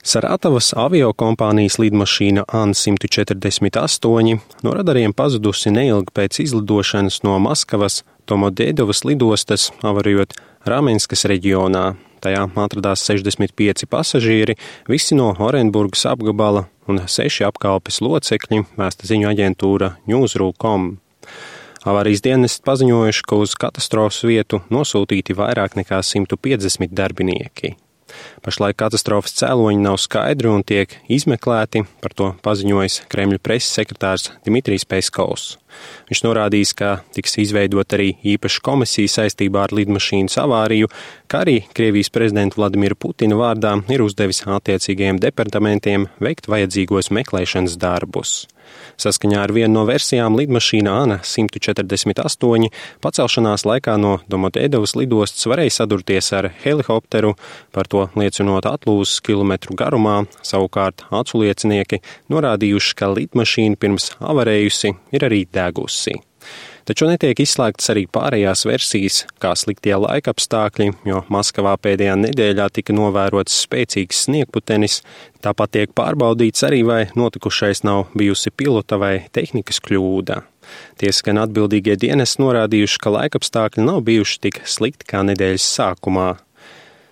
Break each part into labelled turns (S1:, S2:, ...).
S1: Saratavas aviokompānijas lidmašīna An-148 no radariem pazudusi neilgi pēc izlidošanas no Maskavas Domodedovas lidostas, avarijot Ramenskas reģionā. Tajā atradās 65 pasažieri, visi no Orenburgas apgabala un 6 apkalpes locekļi, vēsta ziņu aģentūra News.com. Avārijas dienesti paziņojuši, ka uz katastrofas vietu nosūtīti vairāk nekā 150 darbinieki. Pašlaik katastrofas cēloņi nav skaidri un tiek izmeklēti, par to paziņojis Kremļa preses sekretārs Dmitrijs Peskovs. Viņš norādījis, ka tiks izveidot arī īpaša komisija saistībā ar lidmašīnas avāriju, kā arī Krievijas prezidenta Vladimira Putina vārdā ir uzdevis attiecīgajiem departamentiem veikt vajadzīgos meklēšanas darbus. Saskaņā ar vienu no versijām lidmašīna An-148 pacelšanās laikā no Domodedovas lidostas varēja sadurties ar helikopteru, par to liecinot atlūzas kilometru garumā, savukārt aculiecinieki norādījuši, ka lidmašīna pirms avarējusi ir arī degusi. Taču netiek izslēgtas arī pārējās versijas, kā sliktie laikapstākļi, jo Maskavā pēdējā nedēļā tika novērots spēcīgs sniegputenis, tāpat tiek pārbaudīts arī, vai notikušais nav bijusi pilota vai tehnikas kļūda. Tiesa gan atbildīgie dienesti norādījuši, ka laikapstākļi nav bijuši tik slikti kā nedēļas sākumā.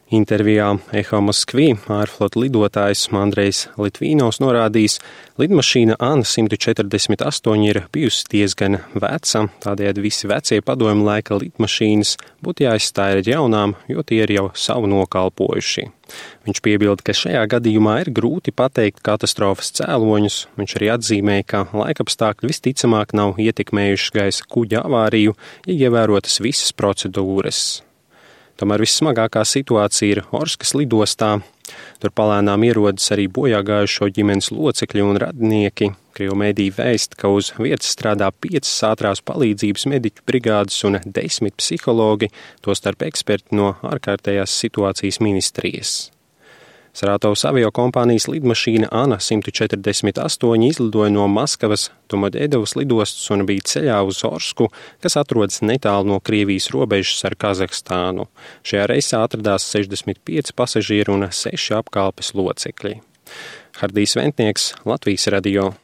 S1: Intervijā Eho Moskvī ārflotu lidotājs Andrejs Litvīnovs norādījis, lidmašīna An-148 ir bijusi diezgan veca, tādējādi visi vecie padomju laika lidmašīnas būtu jāizstāj ar jaunām, jo tie ir jau savu nokalpojuši. Viņš piebilda, ka šajā gadījumā ir grūti pateikt katastrofas cēloņus. Viņš arī atzīmēja, ka laikapstākļi visticamāk nav ietekmējuši gaisa kuģa avāriju, ja ievērotas visas procedūras. Tomēr vissmagākā situācija ir Orskas lidostā. Tur palēnām ierodas arī bojāgājušo ģimenes locekļi un radinieki. Krievu mediji vēst, ka uz vietas strādā 5 ātrās palīdzības mediķu brigādes un 10 psihologi, tostarp eksperti no ārkārtējās situācijas ministrijas. Saratavas aviokompānijas lidmašīna An-148 izlidoja no Maskavas Domodedovas lidostas un bija ceļā uz Orsku, kas atrodas netālu no Krievijas robežas ar Kazahstānu. Šajā reisā atradās 65 pasažieri un 6 apkalpes locekļi. Hardijs Ventnieks, Latvijas radio.